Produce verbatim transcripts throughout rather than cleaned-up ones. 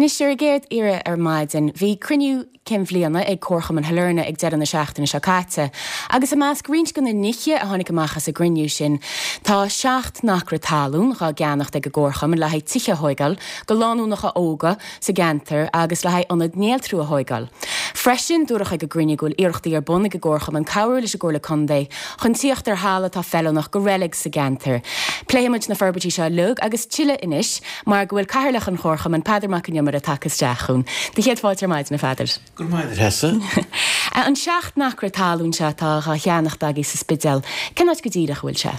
Anois ar an gcéad iarraidh ar maidin, bhí cruinniú cinn bhliana ag Comharchumann Shailearna ag deireadh na seachtaine seo caite, agus i measc roinnt de na nithe a tháinig amach as an gcruinniú sin, tá seacht n-acra talún dhá gceannacht ag an gComharchumann le haghaidh tithe a thógáil do lánúnacha óga sa gceantar agus le haghaidh ionad néaltrú a thógáil. Freisin, dúradh ag an gcruinniú go bhfuil iarrachtaí ar bun ag an gComharchumann cabhrú leis an gComhairle Contae chun tíocht ar thalamh atá feiliúnach do reilig sa gceantar. Pléifimid na forbairtí seo uilig agus tuilleadh anois mar go bhfuil Cathaoirleach an Chomharchumainn Peadar Mac Con Iomaire tagtha isteach chugainn. Do chéad fáilte ar maidin, a Pheadair. Go raibh maith agat, a Threasa. An seacht n-acra talún seo atá dhá cheannacht agaibh sa Spidéal, cén áit go díreach a bhfuil sé?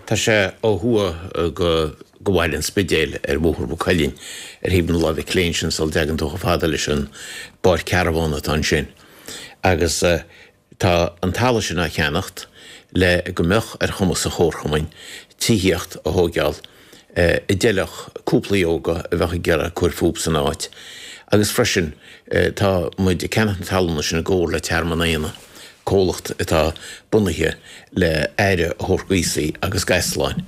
Tá sé ó thuaidh go go bhaile an Spidéil ar Bhóthar Mhaigh Cuilinn, ar thaobh na láimhe clé ansin sula dtagann tú chomh fada leis an bpáirc carbhán atá ansin. Agus tá an talamh sin á cheannacht le go mbeadh ar chumas an Chomharchumainn tithíocht a thóigeáil a d'fheilfeadh cúplaí óga a bheadh ag iarraidh cur fúthu san áit. Agus freisin tá muid ag ceannacht na talúna sin i gcomhar le Tearmann Éanna, comhlacht atá bunaithe le aire a thabhairt d'aosaigh agus d'easláin.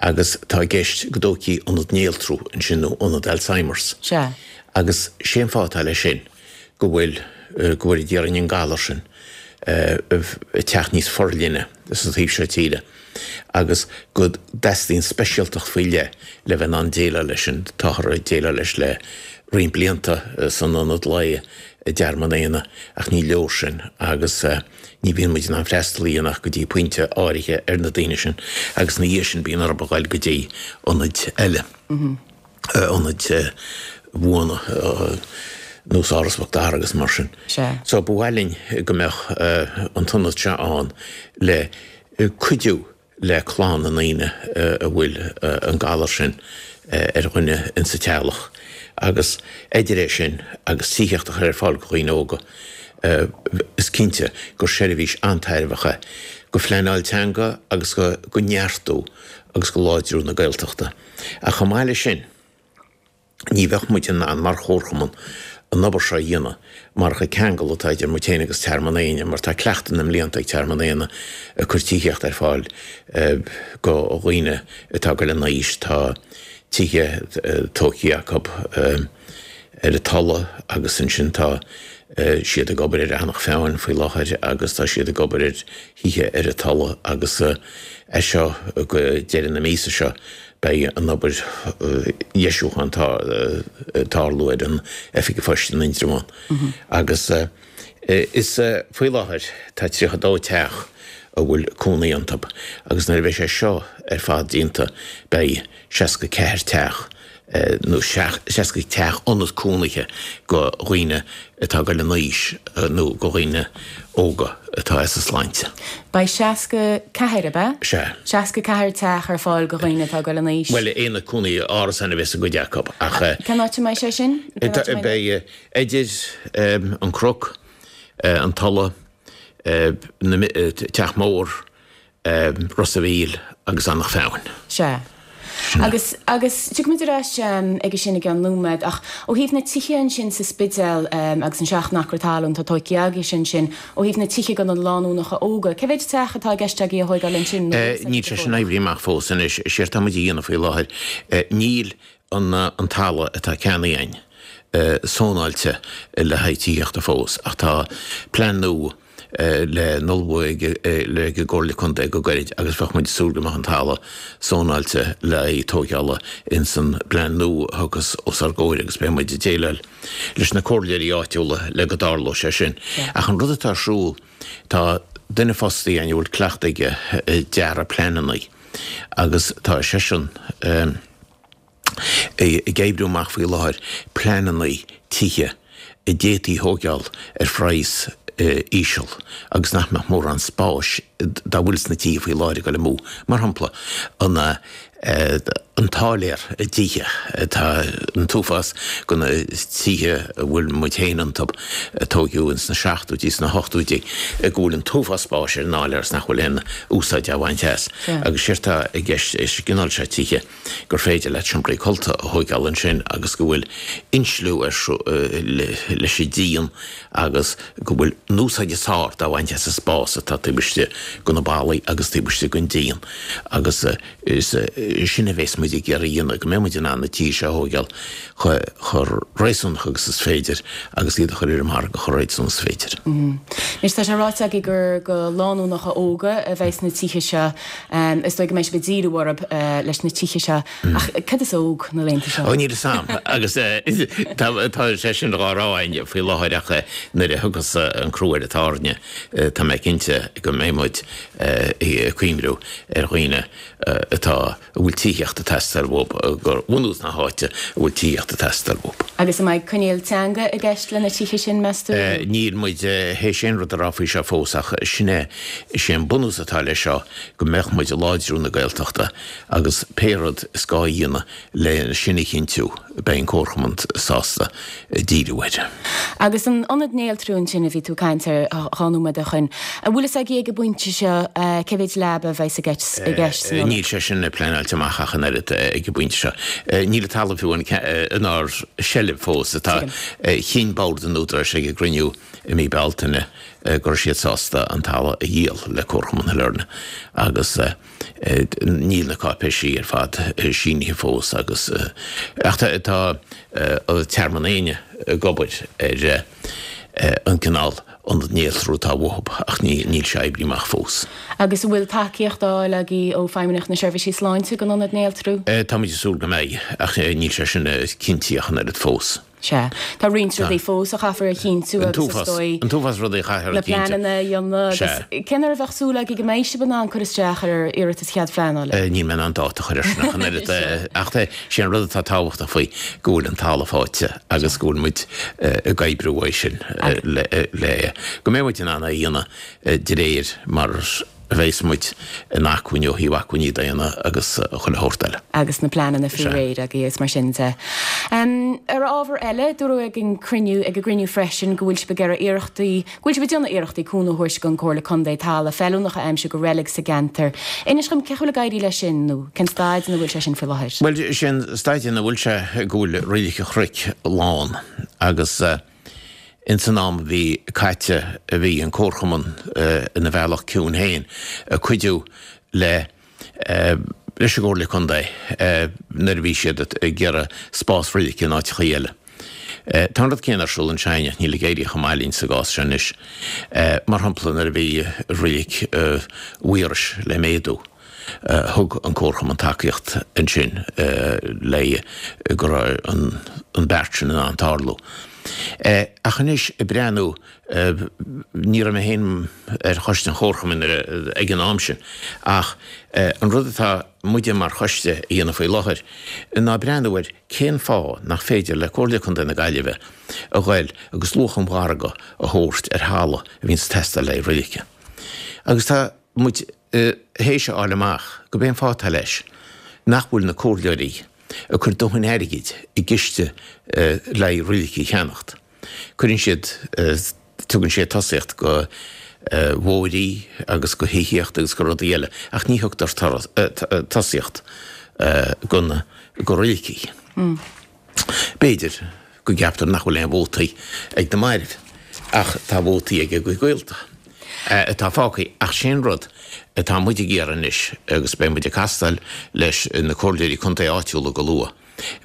Agus tá i gceist go dtógfaí ionad néaltrú ansin nó ionad Alzheimer's. Sea. Agus sé an fáth atá leis sin go bhfuil, go bhfuil déarfainn an galar sin ag teacht níos forleithne sa taobh seo tíre agus go dteastaíonn speisialtacht faoi leith le bheith in ann déileáil leis sin. Táthar ag déileáil leis le roinnt blianta san ionad lae i dTearmann Éanna ach ní leor sin agus ní bhíonn muid in ann freastal a dhéanamh ach go dtí pointe áirithe ar na daoine sin agus ina dhiaidh sin bíonn orthu a ghoil go dtí ionaid eile, ionaid bhuana nós Áras Mhic Dara agus mar sin. So ba mhaith linn go mbeadh an t-ionad seo ann le cuidiú le clann na ndaoine a bhfuil an galar sin ar dhuine insa teaghlach agus idir é sin agus tithíocht a chur ar fáil do dhaoine óga, is cinnte gur seirbhís an-tairbheach é do phleanáil teanga agus do neartú agus do láidriú na Gaeltachta. Ach chomh maith leis sin, Ní bheadh muid in ann mar chomharchumann an obair seo a dhéanamh marach an ceangal atá idir muid féin agus Tearmann Éanna mar tá cleachtadh na mblianta ag Tearmann Éanna ag cur tithíocht ar fáil do dhaoine atá ag dul in aois. Tá tithe tógtha acu ar an Tulaigh agus ansin tá siad ag obair ar Eanach Mheáin faoi láthair agus tá siad ag obair ar thithe ar an Tulaigh agus as seo go deireadh na míosa seo Beidh an obair dheisiúcháin ag tarlú ar an Oifig an Phoist in Indreabhán agus is faoi láthair tá tríocha dó teach a bhfuil cónaí iontu agus nuair a bheidh sé seo ar fad déanta beidh seasca ceathair teach nó seasca teach ionad cónaithe do dhaoine atá ag dul in aois nó do dhaoine óga atá as a sláinte. Beidh seasca ceathair, ab ea? Sea. Seasca ceathair teach ar fáil do dhaoine atá ag dul in aois. Bhuel, aonad cónaithe, árasáin a bheas i gcuid acu ach. Cén áit a mbeidh sé sin? Beidh idir an Cnoc, an Tulaigh, Teach Mór, Ros a' Mhíl agus Eanach Mheáin. Sea. Agus, agus tiocfaimid ar ais aige sin i gceann nóiméad, ach ó thaobh na tithe ansin sa Spidéal agus an seacht n-acra talún atá tógtha agaibhse ansin, ó thaobh na tithe do na lánúnacha óga, cé mhéid teach atá i gceist agaibh a thóigeáil ansin nó níl Níl sé sin oibrithe amach fós anois. Is éard atá muid a dhéanamh faoi láthair, níl an talamh atá ceannaithe againn sónáilte le haghaidh tithíochta fós ach tá plean nua le n-ullmhú ag an gComhairle Contae go gairid agus bheadh muid ag súil go mbeadh an talamh sónáilte le haghaidh tóigeála ins an bplean nua a thiocfas os ár gcomhair agus beidh muid ag déileáil leis na comhairleoirí áitiúla le go dtarlóidh sé sin. Ach an rud atá ar siúl, tá duine fostaithe againn a bhfuil cleachtadh aige ag dearadh pleananna agus tá seisean, ag oibriú amach faoi láthair pleananna tithe a d'fhéadfaí thóigeáil ar phraghas íseal agus nach mbeadh mórán spáis dá bhfuil sna tithe faoi láthair ag dul amú. Mar shampla, an an t-áiléar i dtithe. Tá an t-uafás de na tithe a bhfuil muid féin iontu, a tóigeadh ins na seachtóidí, sna hochtóidí, go bhfuil an t-uafás spáis ar an áiléar is nach bhfuil aon úsáid á bhaint as. Agus séard atá i gceist leis an gcineál seo tithe, gur féidir leat seomraí codlata a thóigeáil ansin agus go bhfuil insliú ar leis an díon agus go bhfuil an úsáid is fearr dá bhaint as an spás atá taobh istigh de na ballaí agus taobh istigh den díon agus is sin a bheas muid ag iarraidh a dhéanamh, go mbeidh muid in ann na tithe seo a thógáil chomh réasúnach agus is féidir agus iad a chur ar an margadh chomh réasúnach is féidir. Anois tá sé ráite agaibh gur go lánúnacha óga a bheas na tithe seo. Is dóigh go mbeidh sibh ag díriú orthu leis na tithe seo. Ach cad is óg na laethanta seo? Ó níl a fhios a'm agus tá sé sin dhá rá againn faoi láthair ach nuair a thiocfas an crú ar an tairne tá mé cinnte go mbeidh muid ag cuimhniú ar dhaoine atá, a bhfuil tithíocht ag teastáil uathu, gur bhunús na háite a bhfuil tithíocht ag teastáil uathu. Agus an mbeidh coinníoll teanga i gceist le na tithe sin, meas tú? Níl muid théis aon rud a rá faoi seo fós ach sin é, is é an bunús atá leis seo go mbeadh muid ag láidriú na Gaeltachta agus pé rud is gá a dhéanamh le sin a chinntiú, beidh an Comharchumann sásta díriú air. Agus an ionad néaltrú ansin a bhí tú ag caint air dhá nóiméad ó shoin, an bhfuil fhios agaibh ag an bpointe seo cé mhéid leaba a bheas i gceist san ionad? Níl sé sin pleanáilte amach ach an oiread ag an bpointe seo. Níl an talamh fiú inár seilbh fós. Tá chinn Bord an Údaráis ag a gcruinniú i mí Bealtaine go raibh siad sásta an talamh a dhíol le Comharchumann Shailearna agus níl na cáipéisí ar fad sínithe fós agus ach tá Tearmann Éanna ag obair ar an gcineál ionad néaltrú atá uathu ach níl sé oibrithe amach fós. Agus an bhfuil tacaíocht á fháil agaibh ó Feidhmeannacht na Seirbhísí Sláinte don ionad néaltrú? Táimid ag súil go mbeidh ach níl sé sin cinnte ach an oiread fós. Sea. Tá roinnt rudaí fós a chaithfear a chinntiú agus is dóigh An t-uafás rudaí a chaithfear na a chinntiú. pleananna a dhéanamh agus Sea. cén uair a bheadh súil agaibh go mbeidh sibh in ann cur isteach ar iarratas chead phleanála? Níl mé in ann dáta a chur air sin ach an oiread ach sé an rud atá tábhachtach faoi go bhfuil an talamh faighte agus go bhfuil muid ag oibriú uaidh sin le le go mbeidh muid in ann é a dhéanamh de réir mar a bheas muid in acmhainn ó thaobh acmhainní daonna agus chuile shórt eile. Agus na pleananna faoi Sea. réir agaibh agus mar sin de. Ar ábhar eile, dúradh ag an cruinniú, ag an gcruinniú freisin go bhfuil sibh ag iarraidh iarrachtaí, go bhfuil sibh ag déanamh iarrachtaí cúnamh a thabhairt don Chomhairle Contae talamh feiliúnach a aimsiú do reilig sa gceantar. Inis dom cén chaoi a bhfuil ag éirí leis sin nó cén staid ina bhfuil sé sin faoi láthair? Bhuel, sé an staid ina bhfuil sé go bhfuil Reilig an Chnoic lán agus Ins an am a bhí caite bhí an Comharchumann ina bhealach ciúin féin ag cuidiú le leis an gComhairle Contae nuair a bhí siad ag iarraidh spás roilige in áiteachaí eile. Tá an rud céanna ar siúl anseo ach níl ag éirí chomh maith linn sa gcás seo anois. Mar shampla nuair a bhí reilig Mhaorais le méadú. Thug an Comharchumann tacaíocht ansin le go raibh an beart sin in ann tarlú. Ach anois ag breathnú, ní raibh mé féin ar choiste an Chomharchumainn ag an am sin, ach an rud atá muide mar choiste a dhéanamh faoi láthair ná breathnú ar cén fáth nach féidir le Comhairle Contae na Gaillimhe a ghoil agus luach an mhargaidh a thabhairt ar thalamh a bhíonns ag teastáil le roilige. Agus tá muid théis a fháil amach gurb é an fáth atá leis nach bhfuil na comhairleoirí ag cur dóthain airgid i gciste le haghaidh roiligí a cheannacht. Cuireann siad, tugann siad tosaíocht go bóithrí agus go thithíocht agus go rudaí eile ach ní thugtar tosaíocht go na, go roiligí. B'fhéidir go gceaptar nach bhfuil aon vótaí ag na mairbh ach tá vótaí ag a gcuid gaolta. atá fágtha. Ach sé an rud atá muid ag iarraidh anois, agus beidh muid ag castáil leis na comhairleoirí contae áitiúla go luath,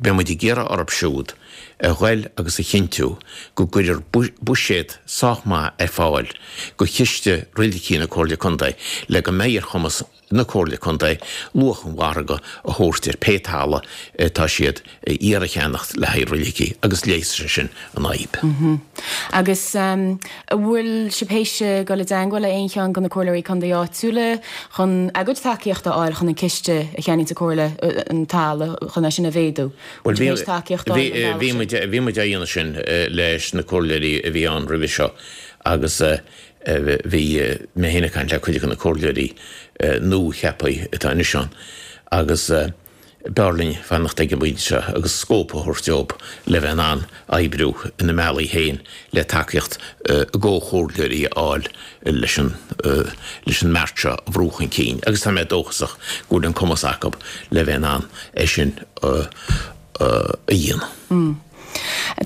beidh muid ag iarraidh orthu siúd a ghoil agus a chinntiú go gcuirfear buiséad sách maith ar fáil go chiste roiligí na Comhairle Contae le go mbeidh ar chumas na Comhairle Contae luach an mhargaidh a thabhairt ar pé talamh atá siad a iarraidh a cheannacht le haghaidh roiligí agus leigheasfaidh sé sin an fhadhb. Agus an bhfuil sibh théis dul i dteangmháil le aon cheann de na Comhairleoirí Contae áitiúla chun a gcuid tacaíochta a fháil chun an ciste a cheannaíonn an Chomhairle an talamh chun é sin a mhéadú? Bhuel Bhfuil sibh théis tacaíocht a fháil an bealach bhí sin? muid bhí muid á dhéanamh sin leis na Comhairleoirí a bhí ann roimhe seo agus Bhí mé féin ag caint le cuid de na comhairleoirí nua-cheaptha atá anois ann agus b'fhearr linn fanacht ag an bpointe seo agus scóip a thabhairt dóibh le bheith in ann oibriú ina mbealaí féin le tacaíocht a gcomhchomhairleoirí a fháil leis an leis an mbeart seo a bhrú chun cinn agus tá mé dóchasach go bhfuil an cumas acu le bheith in ann é sin a dhéanamh.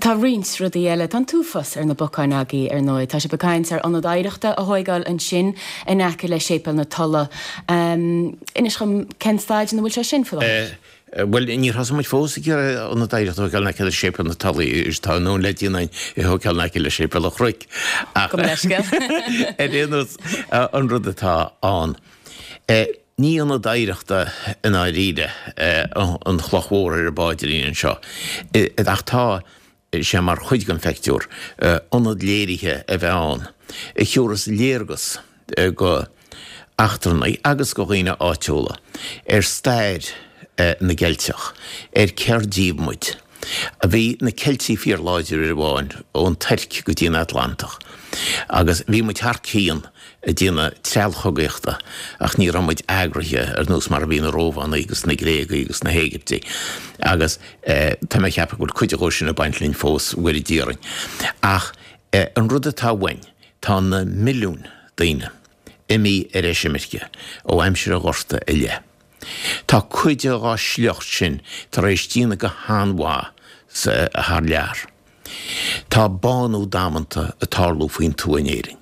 Tá roinnt rudaí eile, tá an t-uafás ar na bacáin agaibh ar ndóigh. Tá sibh ag caint ar ionad oidhreachta a thóigeáil ansin in aice le Séipéal na Tola. Inis dhom cén staid ina bhfuil sé sin faoi láthair? Bhuel, níor thosaigh muid fós ag iarraidh ionad oidhreachta a thóigeáil in aice le Séipéal na Tola, tá an le déanamh a thóigeáil in aice le Séipéal an Chnoic. Ach ar aon nós, an rud atá ann, ní ionad oidhreachta i ndáiríre an chloch mhór ar an bpaidrín anseo, ach tá sé mar chuid den phictiúr, ionad léirithe a bheith ann a thiúrfas léargas go eachtrannaigh agus go dhaoine áitiúla ar stair na gCeilteach, ar céard díobh muid. Bhí na Ceiltigh fíorláidir uair amháin, ón Tuirc go dtí an Atlantach, agus bhí muid thar cionn ag déanamh treallchogaíochta ach ní raibh muid eagraithe ar nós mar a bhí na Rómhánaigh agus na Gréagaigh agus na hÉigiptigh agus tá mé ag ceapadh go bhfuil cuid dhó sin ag baint linn fós, Mhuire d'iarrainn. Ach an rud atá uainn, tá na milliúin daoine imithe ar eisimirce ó aimsir an Ghorta i leith. Tá cuid dhá sliocht sin tar éis déanamh go han-mhaith thar lear. Tá bánú damanta ag tarlú faoin tuath in Éirinn.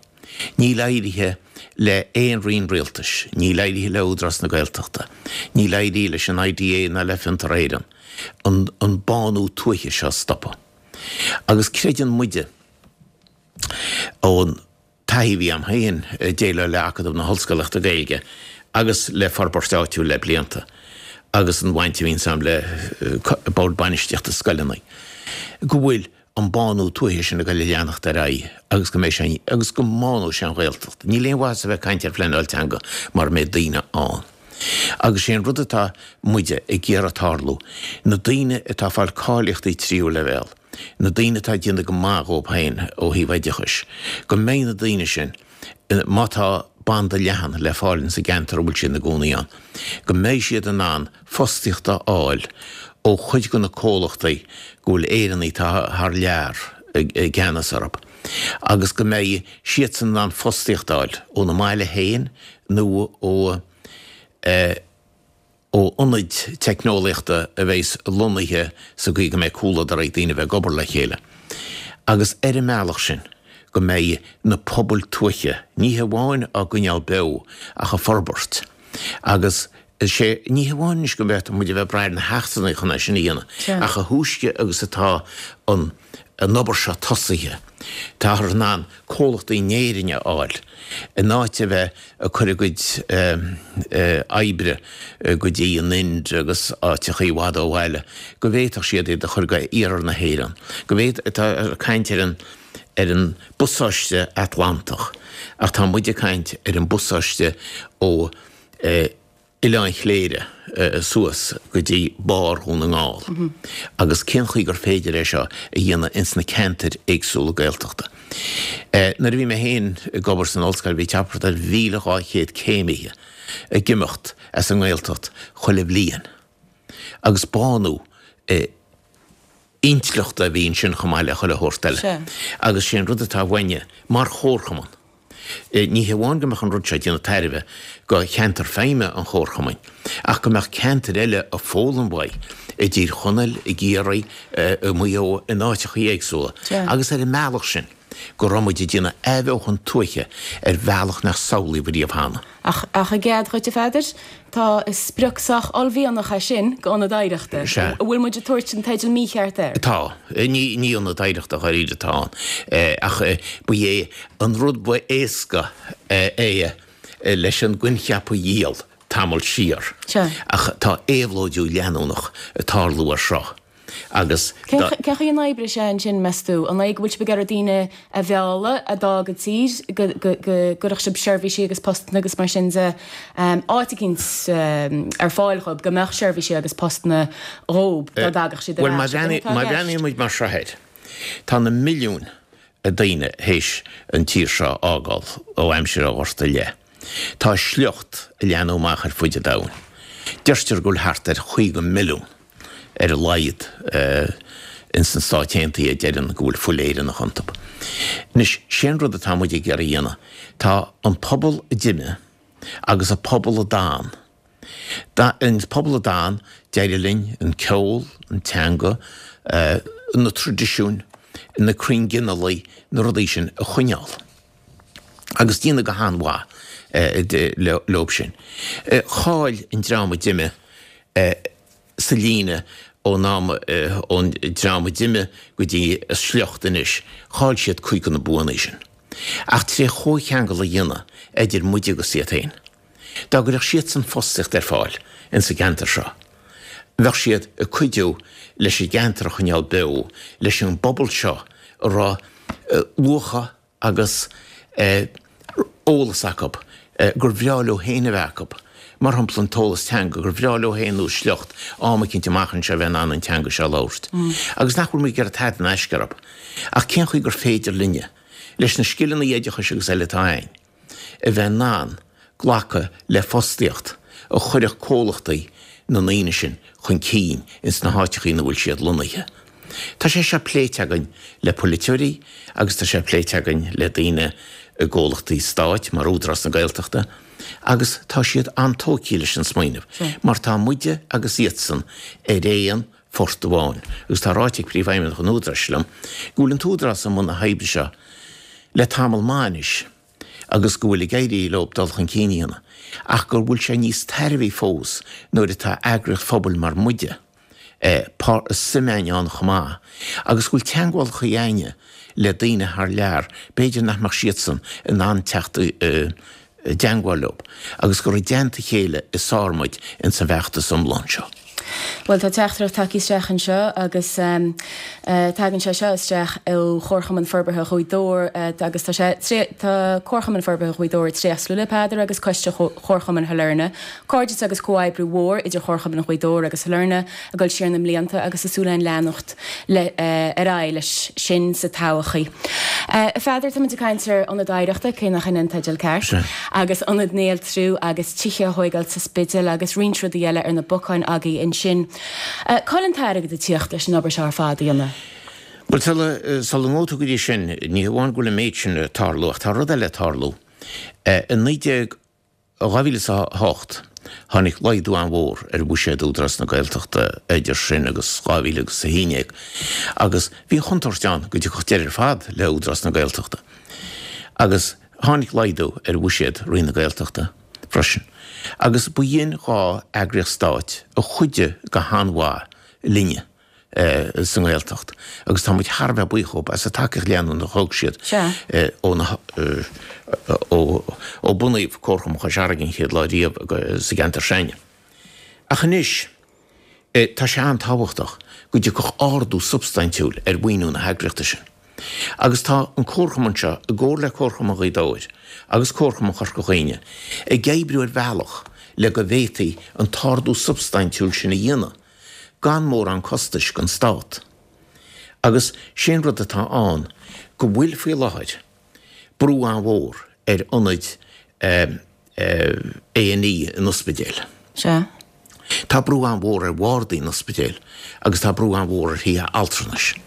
Níl éirithe le aon roinn rialtais, níl éirithe le Údarás na Gaeltachta, níl éirithe leis an I D A ná le Fiontar Éireann an, an bánú tuaithe seo a stopadh. Agus creideann muide ón taithí a bhí a'm féin ag déileáil le Acadamh na hOllscolaíochta Gaeilge agus le Forbairt Áitiúil le blianta agus an bhaint a bhíonns a'm le Bord Bainistíochta scoileanna, go bhfuil an bánú tuaithe sin ag goil a leanacht ar aghaidh agus go mbeidh sé agus go mbánóidh sé an Ghaeltacht. Níl aon mhaitheas a bheith ag caint ar phleanáil teanga mura mbeidh daoine ann. Agus sé an rud atá muide ag iarraidh tarlú, na daoine atá ag fáil cáilíochtaí tríú leibhéal, na daoine atá ag déanamh go maith dhóibh féin ó thaobh oideachais, go mbeidh na daoine sin, má tá banda leathan le fáil insa gceantar a bhfuil siad ina gcónaí ann, go mbeidh siad in ann fostaíocht a fháil ó chuid de na comhlachtaí go bhfuil Éireannaigh atá thar lear i gceannas orthu, agus go mbeidh siadsan in ann fostaíocht a fháil óna mbaile féin nó ó ó ionaid teicneolaíochta a bheas lonnaithe sa gcaoi go mbeidh comhluadar ag daoine a bheith ag obair le chéile, agus ar an mbealach sin go mbeidh na pobail tuaithe ní hamháin á gcoinneáil beo ach ag forbairt. Agus is é ní hamháin anois go mbeadh muid a bheith ag brath ar na heachtrannaigh chun é sin a dhéanamh, ach a thúisce agus atá an an obair seo tosaithe, táthar in ann comhlachtaí in Éirinn a fháil, in áit a bheith ag cur a gcuid oibre go dtí an Ind agus áiteachaí i bhfad ó bhaile, go bhféadfadh siad iad a chur go iarthar na hÉireann, go bhféad, tá caint ar an ar an bpasáiste Atlantach, ach tá muid ag caint ar an bpasáiste ó Oileán Chléire suas go dtí barr Dhún na nGall agus cén chaoi gur féidir é seo a dhéanamh ins na ceantair éagsúla Gaeltachta. Nuair a bhí mé féin ag obair san ollscoil bhí thart ar mhíle dhá chéad céimithe ag imeacht as an nGaeltacht chuile bhliain agus bánú intleachta a bhí ansin chomh maith le chuile shórt eile. Agus sé an rud atá uainne mar chomharchumann, ní hamháin go mbeadh an rud seo ag déanamh tairbhe go cheantar feidhme an chomharchumainn, ach go mbeadh ceantair eile ag foghlaim uaidh, i dTír Chonaill, i gCiarraí, i Maigh Eo, in áiteachaí éagsúla, agus ar an mbealach sin go raibh muid ag déanamh athbheochan tuaithe ar bhealach nach samhlaíodh riamh cheana. Ach, ach i gcead dhuit, a Pheadair, tá sprioc sách uaillmhianach é sin go ionad oidhreachta. Sea. An bhfuil muid ag tabhairt an teidil mícheart air? Tá. Ní, ní ionad oidhreachta dháiríre atá ann. Ach ba é an rud ba éasca é leis an gcoincheap a dhíol tamall siar. Sea. Ach tá éabhlóidiú leanúnach ag tarlú air seo. Agus Cén chaoi a n-oibreoidh sé ansin, meas tú? An é go bhfuil sibh ag iarraidh daoine a mhealladh a d'fhág an tír, go gcuirfeadh sibh seirbhísí agus postanna agus mar sin de, áit eicínt ar fáil dhóibh, go mbeadh seirbhísí agus postanna dhóibh dá dtagadh siad ar Bhuel, má ais? An é atá i má gceist? bhreathnaíonn muid mar seo air, tá na milliúin daoine théis an tír seo a fhágáil ó aimsir an Ghorta i leith. Tá a sliocht ag leathnú amach ar fuid an domhain. Deirtear go bhfuil thart ar chaoga milliún ar a laghad ins na Stáit Aontaithe a deireann go bhfuil fuil Éireannach iontu. Anois, sé an rud atá muid ag iarraidh a dhéanamh, tá an pobal a d'imigh agus an pobal a d'fhan, an pobal a d'fhan, d'éirigh linn an ceol, an teanga, na traidisiúin, na crainn ghinealaigh, na rudaí sin a choinneáil. Agus déanadh go han-mhaith leo sin. Chaill an dream a d'imigh sa líne ón am, ón dream a d'imigh go dtí a sliocht anois, chaill siad cuid de na buanna sin. Ach tré chomhcheangal a dhéanamh idir muide agus iad féin, dá gcuirfeadh siadsan fostaíocht ar fáil insa gceantar seo, bheadh siad ag cuidiú leis an gceantar a choinneáil beo, leis an bpobal seo a raibh luacha agus eolas acu gur bhreá leo féin a bheith acu, mar shampla an t-eolas teanga, gur bhreá leo féin nó a sliocht am eicínt amach anseo a bheith in ann an teanga seo a labhairt. Agus nach bhfuil muid ag iarraidh tada in aisce orthu. Ach cén chaoi gur féidir linne, leis na scileanna oideachais agus eile atá againn, a bheith in ann glacadh le fostaíocht a chuirfeadh comhlachtaí na ndaoine sin chun cinn ins na háiteacha ina bhfuil siad lonnaithe. Tá sé seo pléite againn le polaiteoirí agus tá sé pléite againn le daoine i gcomhlachtaí stáit mar Údarás na Gaeltachta agus tá siad an-tógtha leis an smaoineamh mar tá muide agus iadsan ar aon phort amháin agus tá ráite ag Príomhfheidhmeannach an Údaráis liom go bhfuil an tÚdarás i mbun na hoibre seo le tamall maith anois agus go bhfuil ag éirí leo dul chun cinn a dhéanamh, ach go bhfuil sé níos tairbhí fós nuair atá eagraíocht phobail mar muide, suim againn ann chomh maith, agus go bhfuil teagmhálacha againne le daoine thar lear, b'fhéidir nach mbeadh siadsan in ann teacht i dteagmháil leo, agus gur i dteannta a chéile is fearr muid ins an bhfeachtas iomlán seo. Bhuel, tá teachtaireacht tagtha isteach anseo agus tagann sé seo isteach ó Chomharchumann Forbartha Ghaoth Dobhair agus tá sé, tá Comharchumann Forbartha Ghaoth Dobhair ag tréaslú le Peadar agus Coiste Chomharchumann Shailearna. Cairdeas agus comhoibriú mhór idir Chomharchumann Ghaoth Dobhair agus Shailearna ag dul siar na mblianta agus tá súil againn leanacht le ar aghaidh leis sin sa todhchaí. A Pheadair, táimid ag caint ar Ionad Oidhreachta, cé nach in an teideal ceart, agus Ionad Néaltrú agus tithe a thóigeáil sa Spidéal agus roinnt rudaí eile ar na bacáin agaibh ansin. Cá bhfuil an t-airgead ag tíocht leis an obair seo ar fad a dhéanamh? Bhuel, sula, sula ngabhfaidh tú go dtí sin, ní hamháin go bhfuil an méid sin ag tarlú, ach tá rud eile ag tarlú. I naoi déag, dhá mhíle is a hocht, tháinig laghdú an-mhór ar bhuiséad Údarás na Gaeltachta idir sin agus dhá mhíle agus a haon déag, agus bhí an chontúirt ann go dtiocfadh deireadh ar fad le Údarás na Gaeltachta. Agus tháinig laghdú ar bhuiséad Roinn na Gaeltachta freisin. Agus ba shin dhá eagraíocht stáit a chuidigh go han-mhaith linne sa nGaeltacht agus tá muid thar a bheith buíoch dhóibh as an tacaíocht leanúnach a thug siad ó na ó bunaíodh Comharchumann Chois Fharraige an chéad lá riamh sa gceantar s'againne. Ach anois tá sé an-tábhachtach go dtiocfadh ardú substaintiúil ar mhaoiniú na heagraíochta sin. Agus tá an Comharchumann seo, i gcomhar le Comharchumann Ghaoth Dobhair agus Comharchumann Chorca Dhuibhne, ag oibriú ar bhealach le go bhféadfaí an t-ardú substaintiúil sin a dhéanamh gan mórán costais don Stát. Agus sé an rud atá ann go bhfuil faoi láthair brú an-mhór ar ionaid A and E in ospidéil. Sea. Tá brú an-mhór ar bhardaí in ospidéil agus tá brú an-mhór ar thithe altranais.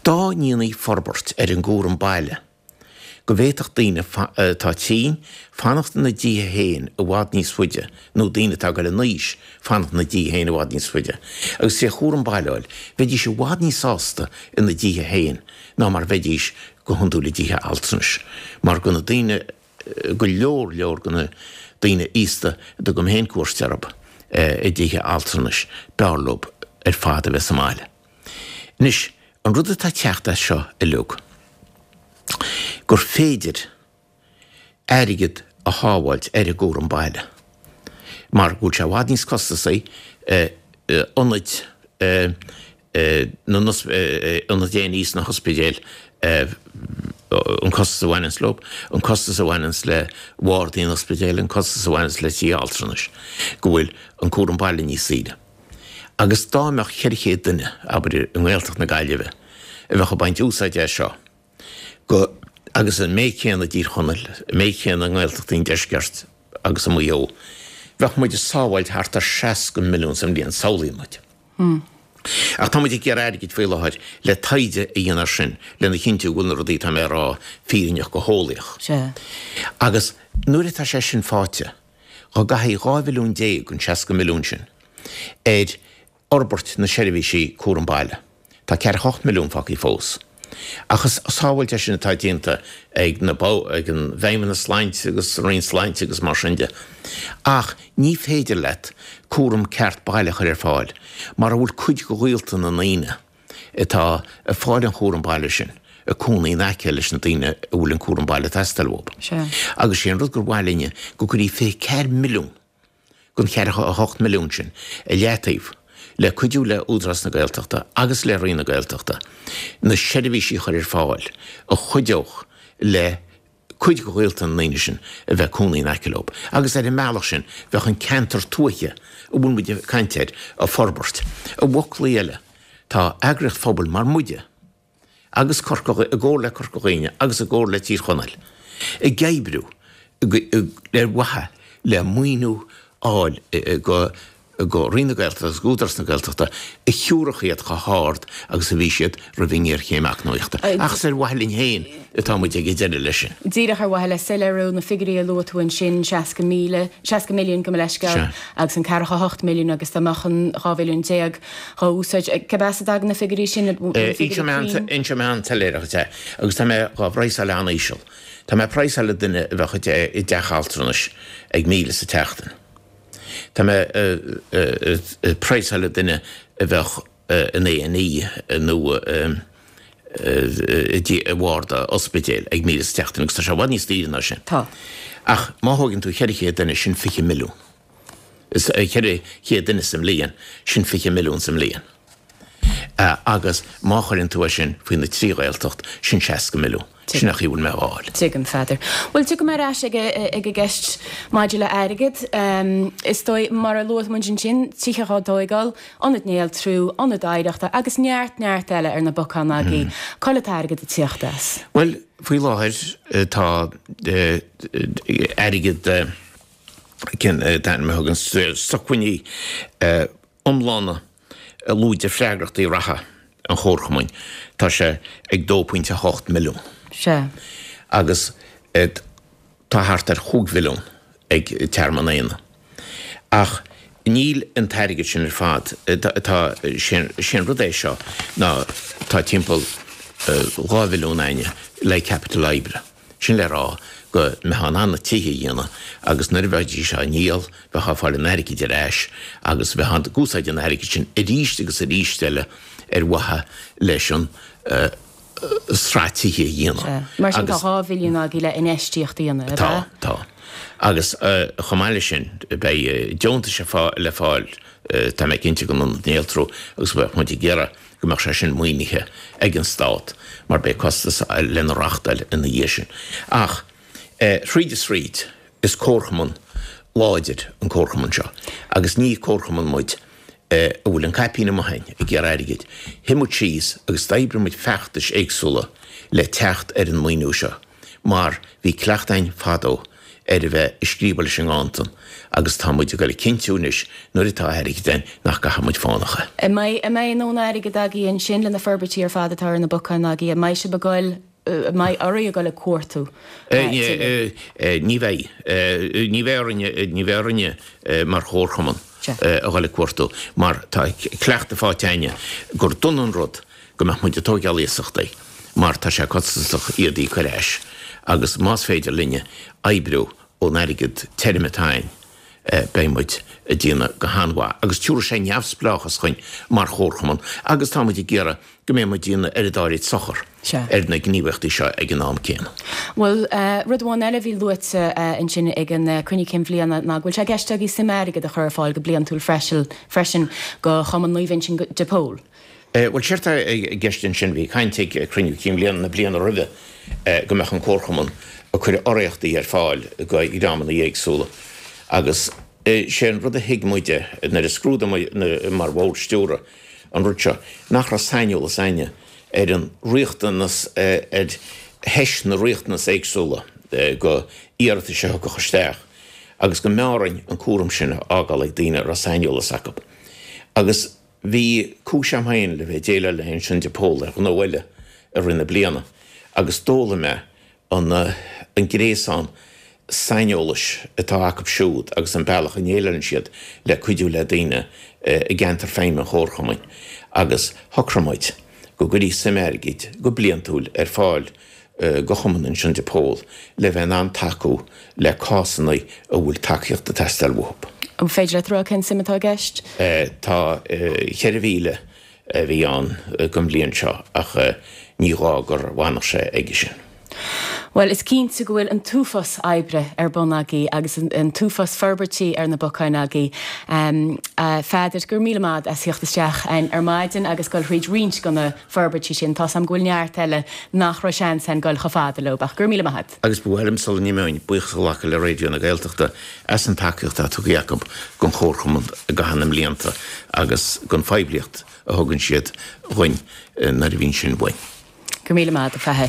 Dá ndéanfaí forbairt ar an gcúram baile, go bhféadfadh daoine atá tinn fanacht ina dtithe féin i bhfad níos faide, nó daoine atá ag dul in aois fanacht ina dtithe féin i bhfad níos faide, agus tré chúram baile a fháil, bheidís i bhfad níos sásta ina dtithe féin ná mar a bheidís go hiondúil i dtithe altranais, mar go na daoine go leor leor de na daoine aosta a dtugaim féin cuairt orthu i dtithe altranais, b'fhearr leo ar fad a bheith sa mbaile. Anois, an rud atá ag teacht as seo uilig, gur féidir airgead a shábháilt ar an gcúram baile, mar go bhfuil sé i bhfad níos costasaí ionaid na ionaid A and E sna hospidéil, an costas a bhaineanns leo, an costas a bhaineanns le bardaí an ospidéil, an costas a bhaineanns le tithe altranais, go bhfuil an cúram baile níos saoire. Agus dá mbeadh ceithre chéad duine, abair, i nGaeltacht na Gaillimhe a bheadh ag baint úsáide as seo, go, agus an méid céanna i dTír Chonaill, an méid céanna i nGaeltachtaí an Deiscirt agus i Maigh Eo, bheadh muid ag sábháilt thart ar seasca milliún sa mbliain, samhlaíonn muid. Ach tá muid ag iarraidh airgid faoi láthair le taighde a dhéanamh air sin lena chinntiú go bhfuil na rudaí atá mé a rá fírinneach go heolaíoch. Sea. Agus nuair atá sé sin faighte, dá gcaithfí dhá mhilliún déag den seasca milliún sin ar fhorbairt na seirbhísí cúram baile, Tá ceathracha hocht milliún fágtha fós. Ach is sábháilt é sin atá déanta ag na ag an bhFeidhmeannas Sláinte agus an Roinn Sláinte agus mar sin de. Ach ní féidir leat cúram ceart baile a chur ar fáil mara bhfuil cuid de ghaolta na ndaoine atá ag fáil an chúram baile sin ag cónaí in aice leis na daoine a bhfuil an cúram baile ag teastáil uathu. Agus sé an rud gur mhaith linne go gcuirfí fiche ceathair milliún den cheathracha a hocht milliún sin i leataobh le cuidiú le Údarás na Gaeltachta agus le Roinn na Gaeltachta na seirbhísí a chur ar fáil a chuideodh le cuid de ghaolta na ndaoine sin a bheith ag cónaí in aice leo. Agus ar an mbealach sin bheadh an ceantar tuaithe a bhfuil muid ag caint air ag forbairt. I bhfoclaí eile, tá eagraíocht phobail mar muide, agus Corca, i gcomhar le Corca Dhuibhne agus i gcomhar le Tír Chonaill, ag oibriú ar mhaithe le maoiniú a fháil go go Roinn na Gaeltachta agus go Údarás na Gaeltachta a thiúrfadh iad chomh hard agus a bhí siad roimh an ngéarchéim eacnamaíochta. Ach is ar mhaithe linn féin atá muid ag deireadh leis sin. Díreach ar mhaithe le soiléiriú, na figiúirí a luaigh tú ansin, seasca míle, seasca milliún gabh mo leithscéal, agus an ceathracha a hocht milliún agus dá mbeadh an dhá mhilliún déag dhá úsáid. Cé as a dtagann na figiúirí sin? An figiúirí cruinn? Inseoidh mé an-soiléir dhuit é agus tá mé dhá bpraghsáil an-íseal. Tá mé ag praghsáil duine a bheadh i dteach altranais ag míle sa tseachtain. Tá mé ag praghsáil duine a bheadh in A and E nó i bharda ospidéil ag míle sa tseachtain agus tá sé i bhfad níos daoire ná sin. Tá. Ach má thógann tú cheithre chéad duine, sin fiche milliún. Ceithre chéad duine sa mbliain, sin fiche milliún sa mbliain. Agus má chuireann tú é sin faoi na trí Ghaeltacht, sin seasca milliún. Sin an chaoi a bhfuil mé á fháil. Tuigim, Pheadair. Bhuel, tiocfaidh mé ar ais ag an gceist maidir le airgead. Is dóigh, mar a luaigh muid ansin, tithe dhá dtóigeáil, ionad néaltrú, ionad oidhreachta agus neart, neart eile ar na bacáin agaibh. Cá bhfuil an t-airgead ag tíocht as? Bhuel, faoi láthair tá airgead, cén t-ainm a thugann, sócmhainní iomlána lúide freagrachtaí reatha an Chomharchumainn, tá sé ag dó pointe a hocht milliún. Sea. Agus tá thart ar chúig mhilliún ag Tearmann Éanna. Ach níl an t-airgead sin ar fad, tá, sé an rud é seo ná tá timpeall dhá mhilliún a'inne le caipiteal oibre. Sin le rá go mbeifeá in ann na tithe a dhéanamh agus nuair a bheidís á ndíol, bheifeá ag fáil an airgid ar ais agus bheifeá ag úsáid an airgid sin arís agus arís eile ar mhaithe leis an sraith tithe a dhéanamh. Sea. Mar sin tá dhá mhilliún agaibh le infheistíocht a dhéanamh, ab Tá, ea? tá. Agus chomh maith leis sin, beidh deontais le fáil, tá mé cinnte, don Ionad Néaltrú agus bheadh muid ag iarraidh go mbeadh sé sin maoinithe ag an Stát mar beidh costas lena reachtáil ina dhiaidh sin. Ach thríd is thríd, is comharchumann láidir an comharchumann seo agus ní comharchumann muid a bhfuil an caipín amuigh a'inn ag iarraidh airgid. Shuigh muid síos agus d'oibrigh muid feachtais éagsúla le teacht ar an maoiniú seo mar bhí cleachtadh a'inn fadó ar a bheith ag scríobadh leis an nganntan agus tá muid ag dul a chinntiú anois nuair atá airgead a'inn nach gcaithfidh muid fánach é. An mbeidh, an mbeidh a ndóthain airgid agaibh ansin le na forbairtí ar fad atá ar na bacáin agaibh? An mbeidh sibh ag goil, an mbeidh oraibh a ghoil ag cuartú tuilleadh? Ní bheidh. Ní bheidh orainne, ní bheidh orainne mar chomharchumann a ghoil ag cuartú mar tá cleachtadh faighte a'inne gur dona an rud go mbeadh muid ag tóigeáil iasachtaí mar tá sé costasach iad a íoc ar ais agus más féidir linne oibriú ón airgead tirim atá a'inn beidh muid ag déanamh go han-mhaith agus tiúrfaidh sé neamhspleáchas chugainn mar chomharchumann agus tá muid ag iarraidh go mbeidh muid ag déanamh oiread áirid sochar ar na gníomhaíochtaí seo ag an am céanna. Bhuel, rud amháin eile a bhí luaite ansin ag an cruinniú cinn bhliana ná go bhfuil sé i gceist agaibh suim airgid a chur ar fáil go bliantúil freisin do Chumann Naomh Uinseann de Pól. Bhuel, séard atá i gceist ansin, bhí caint ag cruinniú cinn bhliana na bliana roimhe go mbeadh an Comharchumann ag cur urraíochtaí ar fáil do dhreamanna éagsúla agus sé an rud a thuig muide nuair a scrúdaigh muid mar bhord stiúrtha an rud seo nach raibh saineolas a'inne ar an riachtanas, ar theist na riachtanas éagsúla go iarratais a thiocfadh isteach agus go mb'fhearr orainn an cúram sin a fhágáil ag daoine a raibh saineolas acu agus Bhí cúis a'm féin le bheith ag déileáil le hUinseann de Pól ar ghnó eile i rith na bliana agus d'fhoghlaim mé an an gréasán saineolais atá acu siúd agus an bealach a ndéileálann siad le cuidiú le daoine i gceantar feidhme an Chomharchumainn agus shocraigh muid go gcuirfí suim airgid go bliantúil ar fáil go chumann ansin de Pól le bheith in ann tacú le cásanna a bhfuil tacaíocht ag teastáil uathu. An féidir leat a rá cén suim atá i gceist? Tá ceithre mhíle a bhí ann don bhliain seo ach ní gá gur bhfanfadh sé aige sin. Bhuel, is cinnte go bhfuil an t-uafás oibre ar bun agaibh agus an t-uafás forbairtí ar na bacáin agaibh. A Pheadair, go raibh míle maith agat as theacht isteach ar maidin agus dul thríd roinnt de na forbairtí sin. Tá's agam go bhfuil neart eile nach raibh seans againn dul chomh fada leo, ach go raibh míle maith agat. Agus ba mhaith liom sula n-imeoinn, buíochas a ghlacadh le Raidió na Gaeltachta as an tacaíocht atá tugtha acu don Chomharchumann i gcaitheamh na mblianta agus don phoiblíocht a thugann siad dhuinn nuair a bhíonn sin uainn. Go raibh míle maith agat, a Pheadair.